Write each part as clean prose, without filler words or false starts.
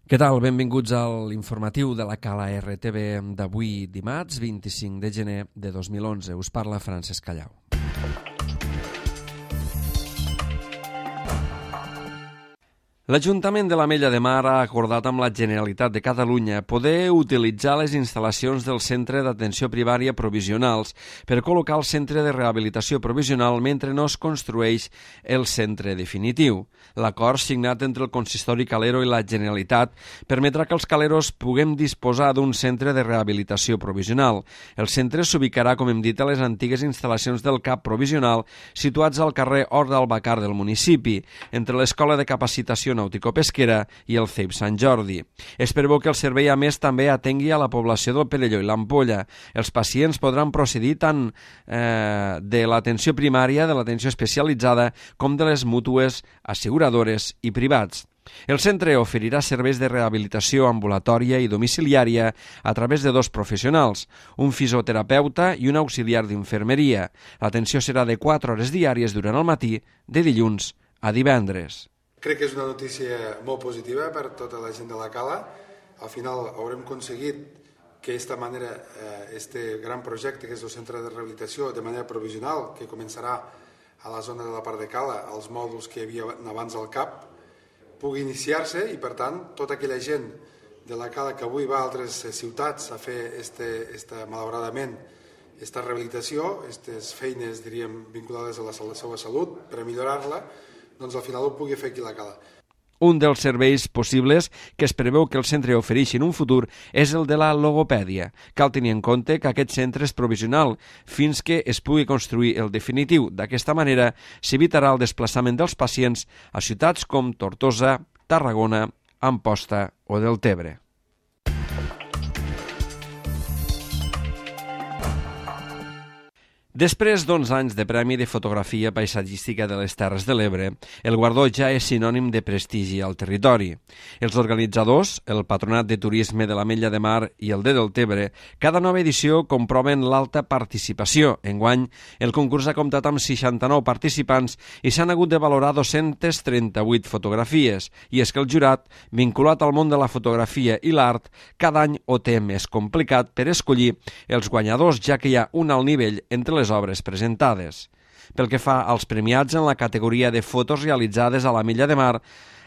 Què tal? Benvinguts a l'informatiu de la Cala RTV d'avui dimarts 25 de gener de 2011. Us parla Francesc Callau. L'Ajuntament de l'Ametlla de Mar ha acordat amb la Generalitat de Catalunya poder utilitzar les instal·lacions del Centre d'Atenció Primària Provisionals per col·locar el Centre de Rehabilitació Provisional mentre no es construeix el centre definitiu. L'acord signat entre el Consistori Calero i la Generalitat permetrà que els caleros puguem disposar d'un centre de rehabilitació provisional. El centre s'ubicarà, com hem dit, a les antigues instal·lacions del CAP provisional situats al carrer Hort d'Albacar del municipi, entre l'Escola de Capacitació Nàutico-Pesquera i el CEIP Sant Jordi. Es preveu que el servei, a més, també atengui a la població del Perelló i l'Ampolla. Els pacients podran procedir tant de l'atenció primària, de l'atenció especialitzada, com de les mútues, asseguradores i privats. El centre oferirà serveis de rehabilitació ambulatòria i domiciliària a través de dos professionals, un fisioterapeuta i un auxiliar d'infermeria. L'atenció serà de 4 hores diàries durant el matí, de dilluns a divendres. Crec que és una notícia molt positiva per tota la gent de la Cala. Al final haurem aconseguit que d'aquesta manera este gran projecte que és el centre de rehabilitació de manera provisional, que començarà a la zona de la part de Cala, als mòduls que hi havia abans al CAP, pugui iniciar-se i, per tant, tota aquella gent de la Cala que avui va a altres ciutats a fer malauradament aquesta rehabilitació, aquestes feines, diríem, vinculades a la seva salut per a millorar-la, doncs al final ho pugui fer aquí a la Cala. Un dels serveis possibles que es preveu que el centre ofereixi en un futur és el de la logopèdia. Cal tenir en compte que aquest centre és provisional fins que es pugui construir el definitiu. D'aquesta manera s'evitarà el desplaçament dels pacients a ciutats com Tortosa, Tarragona, Amposta o Deltebre. Després d'11 anys de Premi de Fotografia Paisatgística de les Terres de l'Ebre, el guardó ja és sinònim de prestigi al territori. Els organitzadors, el Patronat de Turisme de l'Ametlla de Mar i el de Deltebre, cada nova edició comproven l'alta participació. Enguany, el concurs ha comptat amb 69 participants i s'han hagut de valorar 238 fotografies. I és que el jurat, vinculat al món de la fotografia i l'art, cada any ho té més complicat per escollir els guanyadors, ja que hi ha un alt nivell entre les obres presentades. Pel que fa als premiats en la categoria de fotos realitzades a l'Ametlla de Mar,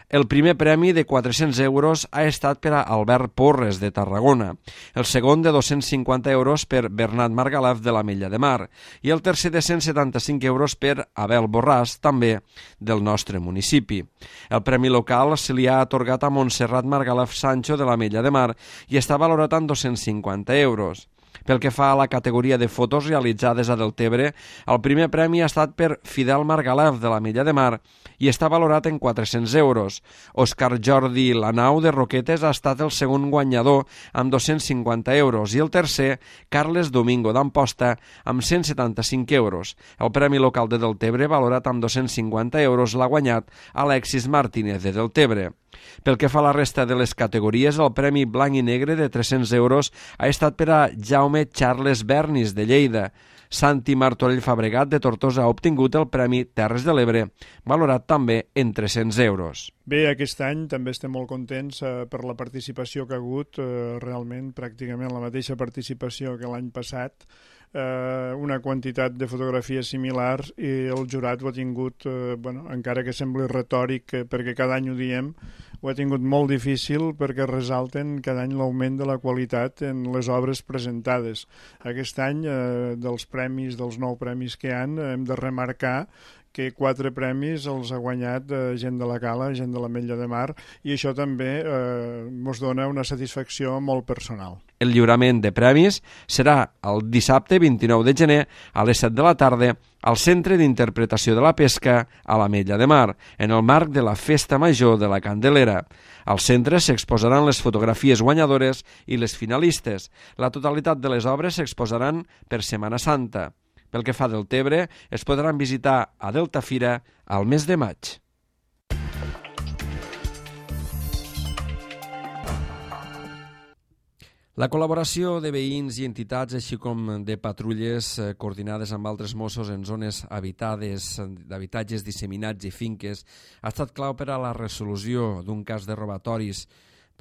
el primer premi de 400 euros ha estat per a Albert Porres, de Tarragona, el segon de 250 euros per Bernat Margalef, de l'Ametlla de Mar, i el tercer de 175 euros per Abel Borràs, també del nostre municipi. El premi local se li ha atorgat a Montserrat Margalef Sancho, de l'Ametlla de Mar, i està valorat en 250 euros. Pel que fa a la categoria de fotos realitzades a Deltebre, el primer premi ha estat per Fidel Margalef, de l'Ametlla de Mar, i està valorat en 400 euros. Òscar Jordi Lanau, de Roquetes, ha estat el segon guanyador amb 250 euros i el tercer, Carles Domingo, d'Amposta, amb 175 euros. El premi local de Deltebre, valorat amb 250 euros, l'ha guanyat Alexis Martínez, de Deltebre. Pel que fa a la resta de les categories, el Premi Blanc i Negre de 300 euros ha estat per a Jaume Charles Bernis, de Lleida. Santi Martorell Fabregat, de Tortosa, ha obtingut el Premi Terres de l'Ebre, valorat també en 300 euros. Bé, aquest any també estem molt contents per la participació que ha hagut, realment pràcticament la mateixa participació que l'any passat, una quantitat de fotografies similars, i el jurat ho ha tingut, encara que sembli retòric, perquè cada any ho diem, ho ha tingut molt difícil perquè resalten cada any l'augment de la qualitat en les obres presentades. Aquest any, dels 9 premis que hi ha, hem de remarcar que 4 premis els ha guanyat gent de la Cala, gent de l'Ametlla de Mar, i això també ens dona una satisfacció molt personal. El lliurament de premis serà el dissabte 29 de gener a les 7 de la tarda al Centre d'Interpretació de la Pesca a l'Ametlla de Mar, en el marc de la Festa Major de la Candelera. Al centre s'exposaran les fotografies guanyadores i les finalistes. La totalitat de les obres s'exposaran per Setmana Santa. Pel que fa a Deltebre, es podran visitar a Deltafira al mes de maig. La col·laboració de veïns i entitats, així com de patrulles coordinades amb altres Mossos en zones habitades, d'habitatges disseminats i finques, ha estat clau per a la resolució d'un cas de robatoris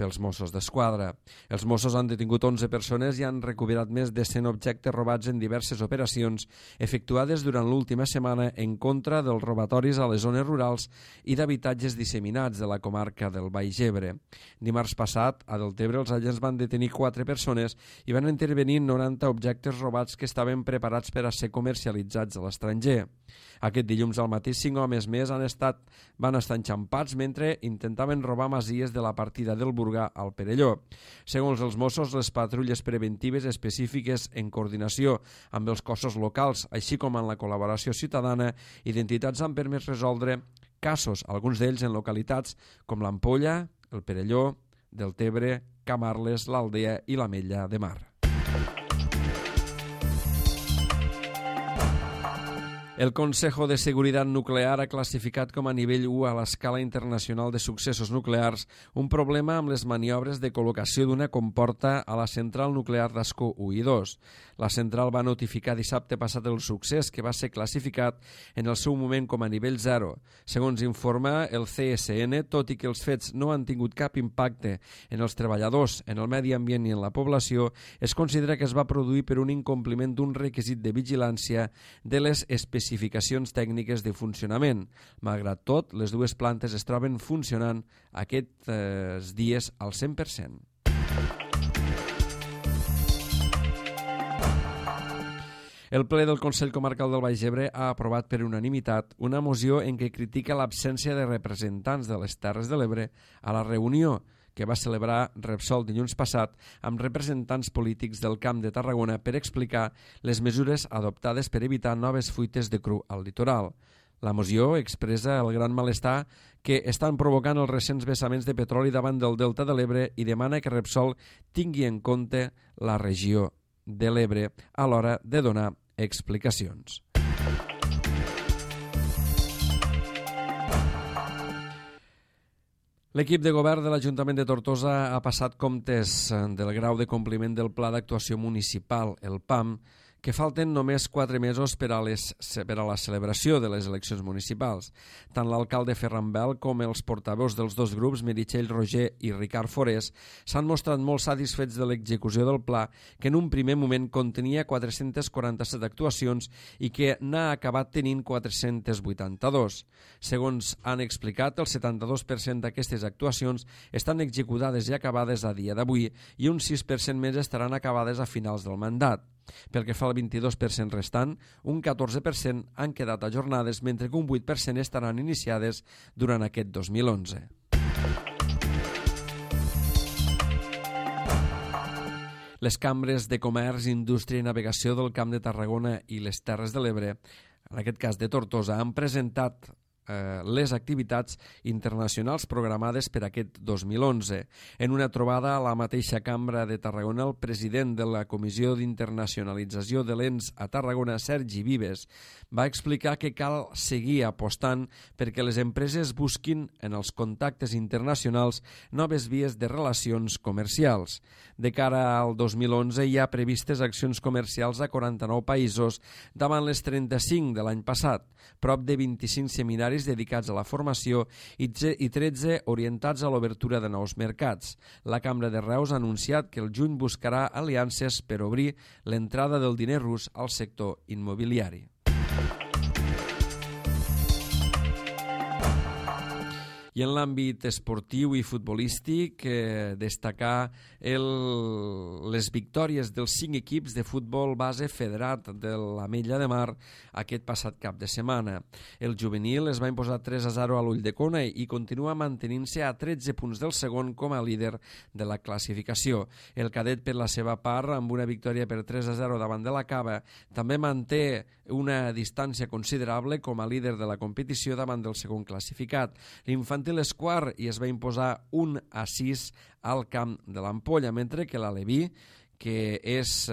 pels Mossos d'Esquadra. Els Mossos han detingut 11 persones i han recuperat més de 100 objectes robats en diverses operacions efectuades durant l'última setmana en contra dels robatoris a les zones rurals i d'habitatges disseminats de la comarca del Baix Ebre. Dimarts passat, a Deltebre, els agents van detenir 4 persones i van intervenir 90 objectes robats que estaven preparats per a ser comercialitzats a l'estranger. Aquest dilluns al matí 5 homes més van estar enxampats mentre intentaven robar masies de la partida del Burgà al Perelló. Segons els Mossos, les patrulles preventives específiques en coordinació amb els cossos locals, així com amb la col·laboració ciutadana i d'entitats han permès resoldre casos, alguns d'ells en localitats com l'Ampolla, el Perelló, Deltebre, Camarles, l'Aldea i l'Ametlla de Mar. El Consejo de Seguridad Nuclear ha classificat com a nivell 1 a l'escala internacional de successos nuclears un problema amb les maniobres de col·locació d'una comporta a la central nuclear d'Ascó 1 i 2. La central va notificar dissabte passat el succés, que va ser classificat en el seu moment com a nivell 0. Segons informa el CSN, tot i que els fets no han tingut cap impacte en els treballadors, en el medi ambient i en la població, es considera que es va produir per un incompliment d'un requisit de vigilància de les especificacions tècniques de funcionament. Malgrat tot, les dues plantes es troben funcionant aquests dies al 100%. El ple del Consell Comarcal del Baix Ebre ha aprovat per unanimitat una moció en què critica l'absència de representants de les Terres de l'Ebre a la reunió que va celebrar Repsol dilluns passat amb representants polítics del Camp de Tarragona per explicar les mesures adoptades per evitar noves fuites de cru al litoral. La moció expressa el gran malestar que estan provocant els recents vessaments de petroli davant del Delta de l'Ebre i demana que Repsol tingui en compte la regió de l'Ebre a l'hora de donar explicacions. L'equip de govern de l'Ajuntament de Tortosa ha passat comptes del grau de compliment del Pla d'Actuació Municipal, el PAM, que falten només 4 mesos per a la celebració de les eleccions municipals. Tant l'alcalde Ferran Bel com els portaveus dels dos grups, Meritxell Roger i Ricard Forés, s'han mostrat molt satisfets de l'execució del pla, que en un primer moment contenia 447 actuacions i que n'ha acabat tenint 482. Segons han explicat, el 72% d'aquestes actuacions estan executades i acabades a dia d'avui i un 6% més estaran acabades a finals del mandat. Pel que fa al 22% restant, un 14% han quedat ajornades, mentre que un 8% estaran iniciades durant aquest 2011. Les cambres de comerç, indústria i navegació del Camp de Tarragona i les Terres de l'Ebre, en aquest cas de Tortosa, han presentat les activitats internacionals programades per aquest 2011. En una trobada a la mateixa Cambra de Tarragona, el president de la Comissió d'Internacionalització de l'ENS a Tarragona, Sergi Vives, va explicar que cal seguir apostant perquè les empreses busquin en els contactes internacionals noves vies de relacions comercials. De cara al 2011 hi ha previstes accions comercials a 49 països davant les 35 de l'any passat, prop de 25 seminaris dedicats a la formació i 13 orientats a l'obertura de nous mercats. La Cambra de Reus ha anunciat que el juny buscarà aliances per obrir l'entrada del diner rus al sector immobiliari. I en l'àmbit esportiu i futbolístic, destacar les victòries dels 5 equips de futbol base federat de l'Ametlla de Mar aquest passat cap de setmana. El juvenil es va imposar 3-0 a l'Ulldecona i continua mantenint-se a 13 punts del segon com a líder de la classificació. El cadet, per la seva part, amb una victòria per 3-0 davant de la Cava, també manté una distància considerable com a líder de la competició davant del segon classificat. L'infantil és quart i es va imposar 1-6 al camp de l'Ampolla, mentre que l'Aleví, que és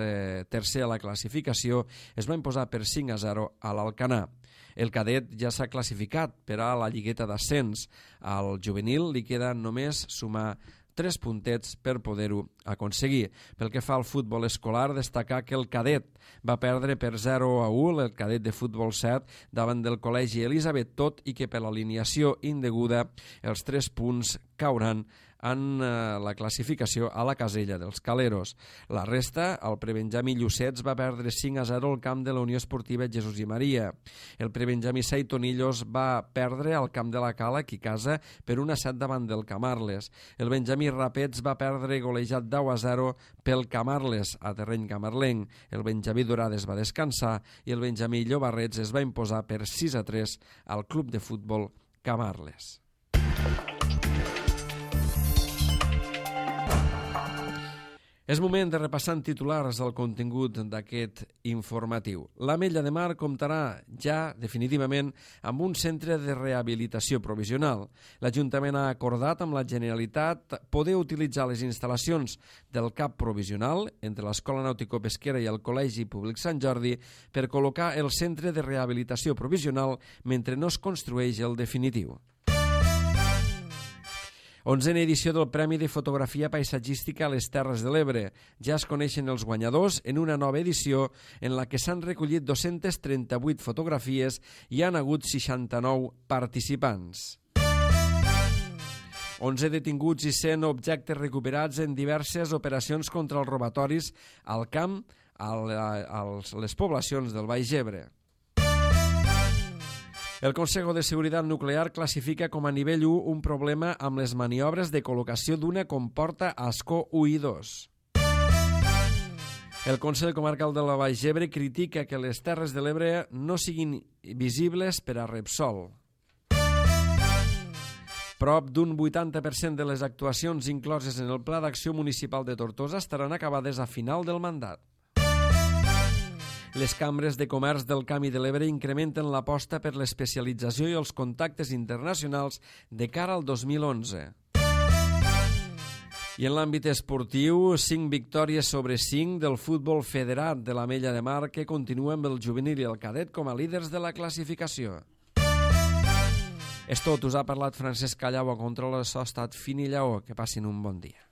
tercer a la classificació, es va imposar per 5-0 a l'Alcanar. El cadet ja s'ha classificat per a la lligueta d'ascens. Al juvenil li queda només sumar 3 puntets per poder-ho aconseguir. Pel que fa al futbol escolar, destacar que el cadet va perdre per 0-1 el cadet de futbol 7 davant del Col·legi Elisabet, tot i que per l'alineació indeguda els 3 punts cauran en la classificació a la casella dels Caleros. La resta, el prebenjamí Llucets va perdre 5-0 al camp de la Unió Esportiva Jesús i Maria. El prebenjamí Saitonillos va perdre al camp de la Cala, aquí casa, per 1-7 davant del Camarles. El benjamí Rapets va perdre golejat 10-0 pel Camarles a terreny camarlenc. El benjamí Dorades va descansar i el benjamí Llobarrets es va imposar per 6-3 al club de futbol Camarles. És moment de repassar en titulars el contingut d'aquest informatiu. L'Ametlla de Mar comptarà ja definitivament amb un centre de rehabilitació provisional. L'Ajuntament ha acordat amb la Generalitat poder utilitzar les instal·lacions del CAP provisional entre l'Escola Nàutico-Pesquera i el Col·legi Públic Sant Jordi per col·locar el centre de rehabilitació provisional mentre no es construeix el definitiu. 11a edició del Premi de Fotografia Paisatgística a les Terres de l'Ebre. Ja es coneixen els guanyadors en una nova edició en la que s'han recollit 238 fotografies i han hagut 69 participants. 11 detinguts i 100 objectes recuperats en diverses operacions contra els robatoris al camp a les poblacions del Baix Ebre. El Consejo de Seguridad Nuclear classifica com a nivell 1 un problema amb les maniobres de col·locació d'una comporta Ascó 1 i 2. El Consell Comarcal de la Baix Ebre critica que les Terres de l'Ebre no siguin visibles per a Repsol. Prop d'un 80% de les actuacions incloses en el Pla d'Acció Municipal de Tortosa estaran acabades a final del mandat. Les cambres de comerç del Camp de l'Ebre incrementen l'aposta per l'especialització i els contactes internacionals de cara al 2011. I en l'àmbit esportiu, 5 victòries sobre 5 del futbol federat de l'Ametlla de Mar, que continua amb el juvenil i el cadet com a líders de la classificació. És tot, us ha parlat Francesc Callau a control de so, estat fin i lleó. Que passin un bon dia.